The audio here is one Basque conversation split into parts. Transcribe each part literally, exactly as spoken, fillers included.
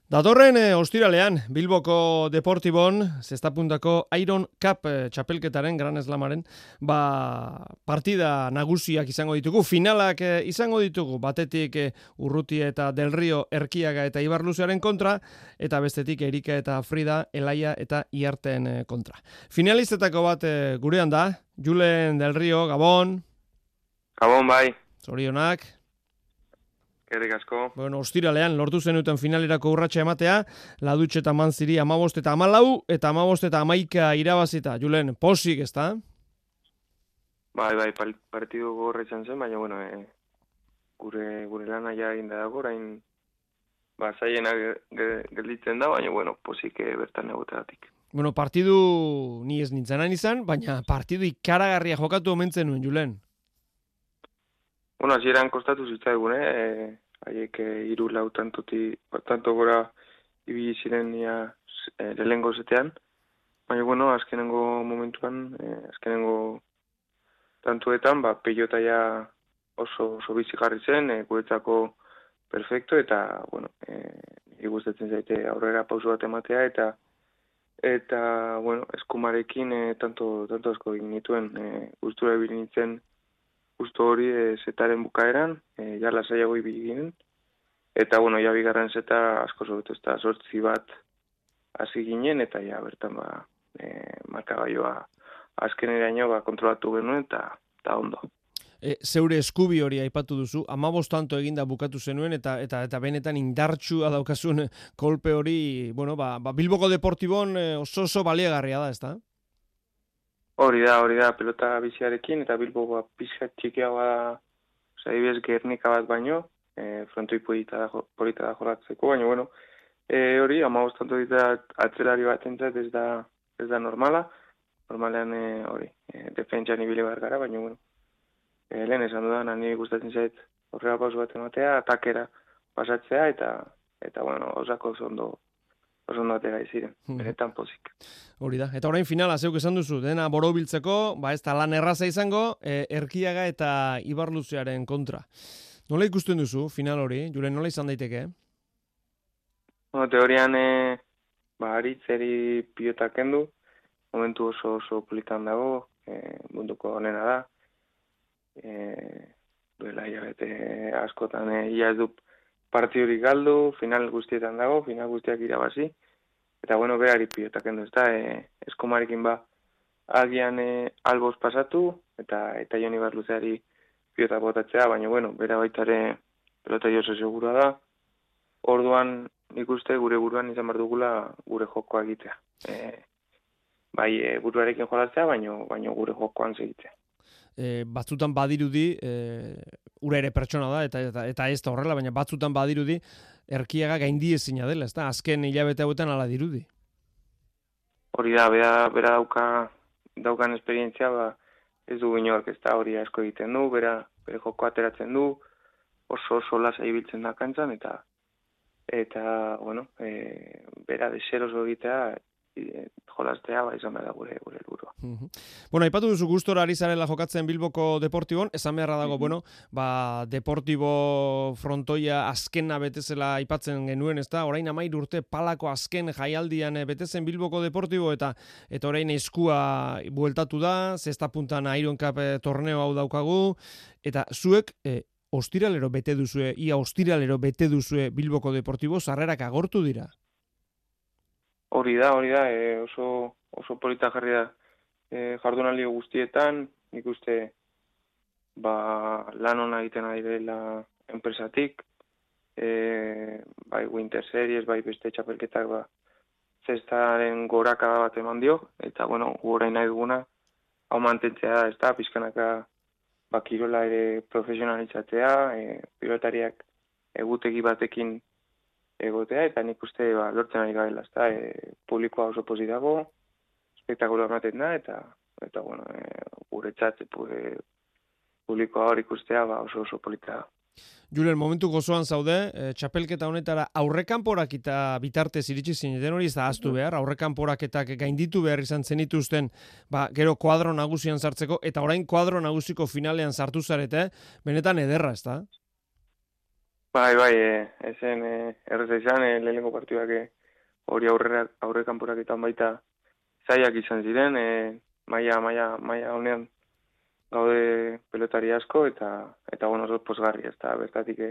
Datorren eh, ostiralean, Bilboko Deportibon, zestapuntako Iron Cup eh, txapelketaren, Gran Slamaren, ba, partida nagusiak izango ditugu, finalak eh, izango ditugu, batetik eh, Urrutia eta Del Rio, Erkiaga eta Ibarluzearen kontra, eta bestetik Erika eta Frida, Elaia eta Iarten eh, kontra. Finalistetako bat eh, gurean da, Julen Del Rio, Gabon. Gabon bai. Zorionak. Gerrik asko. Bueno, ostiralean lortu zenuten finalerako urratsa ematea, Ladutxe eta Manziri amabost eta amalau, eta amabost eta amaika irabazita. Julen, posik, ez da? Bai, bai, partidu gorra izan zen, baina, bueno, e, gure, gure lana ja inda dago, orain, ba, zaiena gelditzen da, baina, bueno, posik e, bertan egoteatik. Bueno, partidu ni ez nintzenan izan, baina partidu ikaragarria jokatu omentzen nuen, Julen. Bueno, hasieran kostatu zitzaigun, eh? Haiek e, hiru lau tantoti, tanto gora ibili ziren ia e, lehengo zetean. Baina, bueno, azkenengo momentuan, e, azkenengo tantuetan, ba, pilota ja oso, oso bizi jarri zen, e, guretzako perfecto, eta, bueno, e, igustatzen zaite aurrera pauso bat ematea, eta, eta bueno, eskumarekin e, tanto, tanto asko egin nituen, e, gustura ibili nintzen, justo hori e, zetaren bukaeran, e, ja lasaiago ibili ginen, eta bueno, ja bigarren zeta asko zobetu, eta sortzi bat hasi ginen, eta ja bertan ba, e, markagailua azkeneraino ba, kontrolatu genuen, eta, eta ondo. E, zeure eskubi hori aipatu duzu, amabost tanto eginda bukatu zenuen, eta eta eta benetan indartsua daukazun kolpe hori, bueno, ba, ba Bilboko Deportibon oso oso baliagarria da, ezta? Hori da, hori da, pelota biziarekin, eta Bilbo ba, pizkat txikiagoa da, oza, ibez Gernika bat baino, e, frontoi polita da, polita da jorratzeko, baina, bueno, e, hori, amabost tanto dita atzelari bat entzat ez da, ez da normala, normalean, e, hori, e, defentsan ibile behar gara, baina, bueno, e, lehen esan dudan, nire gustatzen zait horrela pauso bat ematea, atakera pasatzea, eta, eta bueno, osako zondo, oso ondotera iziren, benetan pozik. Hori da, eta orain finala, zeuk esan duzu, dena borobiltzeko, ba ez da lan erraza izango, e, Erkiaga eta Ibarluzearen kontra. Nola ikusten duzu, final hori? Julen, nola izan daiteke? Bueno, teorian, e, ba, aritzeri pilotak kendu, momentu oso oso politan dago, e, munduko honena da, e, duela hilabete askotan, e, ia ez du partidurik galdu, final guztietan dago, final guztiak irabazi, eta bueno, berari pilotak kendu, ez da, e, eskomarekin ba, agian e, alboz pasatu, eta eta Joni Barluzeari pilota botatzea, baina bueno, bera baitare pelota oso segura da, orduan nik uste gure buruan izan behar dugula gure jokoa egitea. E, bai, e, buruarekin jolatzea, baina baino gure jokoan segitzea. E, batzutan badirudi, e, ura ere pertsona da, eta, eta, eta ez da horrela, baina batzutan badirudi, Erkiaga gaindi ezina dela, ez da? Azken hilabete hauetan ala dirudi. Hori da, bera, bera dauka, daukan esperientzia, ba, ez du inork, ez da, hori asko egiten du, bera, bere joko ateratzen du, oso oso lasa ibiltzen da kantzan, eta, eta, bueno, e, bera deseroso egitea, e, jolaztea, ba, izan behar da gure, gure helburua. Uh-huh. Bueno, aipatu duzu gustora ari zarela jokatzen Bilboko Deportibon, esan beharra dago, uh-huh. bueno, ba, Deportibo frontoia azkena betezela aipatzen genuen, ez da? Orain amairu urte palako azken jaialdian betezen Bilboko Deportibo, eta eta orain eskua bueltatu da, zesta puntan Iron Cup torneo hau daukagu, eta zuek, e, ostiralero bete duzue, ia ostiralero bete duzue Bilboko Deportibo, sarrerak agortu dira? Hori da, hori da, e, oso, oso polita jarri da e, jardunaldi guztietan, nik uste ba, lan hona egiten ari dela enpresatik, e, bai Winter Series, bai beste txapelketak ba, zestaren gorakada bat eman dio, eta bueno, gura nahi duguna, hau mantentzea da, ez da, pizkanaka ba, kirola ere profesionalitzatzea, e, pilotariak egutegi batekin egotea, eta nik uste ba, lortzen ari gaela, ezta, e, publikoa oso pozik dago, espektakulo ematen da, eta, eta bueno, e, guretzat e, publikoa hor ikustea ba, oso oso polita da. Julen, momentu gozoan zaude, e, txapelketa honetara aurrekanporak eta bitartez iritsi zineten hori ez da ahaztu behar, aurrekanporaketak gainditu behar izan zenituzten, ba, gero kuadro nagusian sartzeko, eta orain kuadro nagusiko finalean sartu zarete, benetan ederra, ez da? Bai, bai, e, ezen e, erreza izan, e, lehenengo partiduak e, hori aurrera, aurre kanporaketan baita zaiak izan ziren, e, maia, maia, maia honean gaude pelotari asko, eta, eta bueno, oso pozgarri, ez da, bertatik e,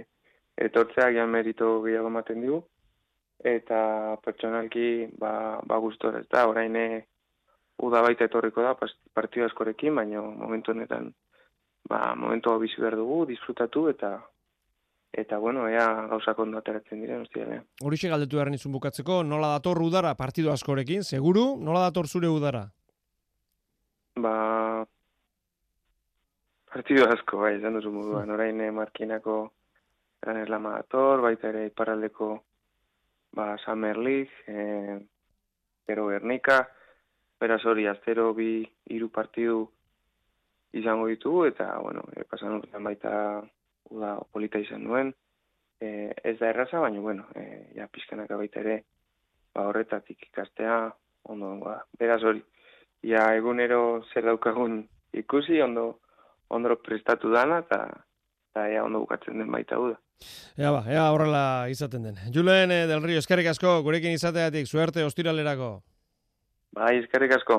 etortzeak jan merito gehiago ematen digu, eta pertsonalki, ba, ba gustora, ez da, orain e, uda baita etorriko da, partidu askorekin, baina momentu honetan, ba, momentu hau bizi behar dugu, disfrutatu, eta Eta, bueno, ea gauzak ondo ateratzen diren, hostialean. Horixe galdetu behar nizun bukatzeko, nola dator udara partidu askorekin, seguru? Nola dator zure udara? Ba, partidu asko, bai, izan duzu moduan. Orain eh, Markinako Gran Eslama dator, baita ere iparraldeko ba, Summer League, eh, Gero Gernika, beraz hori, aztero bi hiru partidu izango ditugu, eta, bueno, e, pasan urtean baita uda polita izan duen, e, ez da erraza, baina, bueno, e, ja pizkanaka baita ere, ba horretatik ikastea, ondo, ba, beraz hori, ja egunero zer daukagun ikusi, ondo, ondo prestatu dana, eta eta ea ondo bukatzen den baita uda. Ea ba, ea horrela izaten den. Julen eh, del Rio, eskerrik asko, gurekin izateatik, suerte ostiralerako. Bai, eskerrik asko.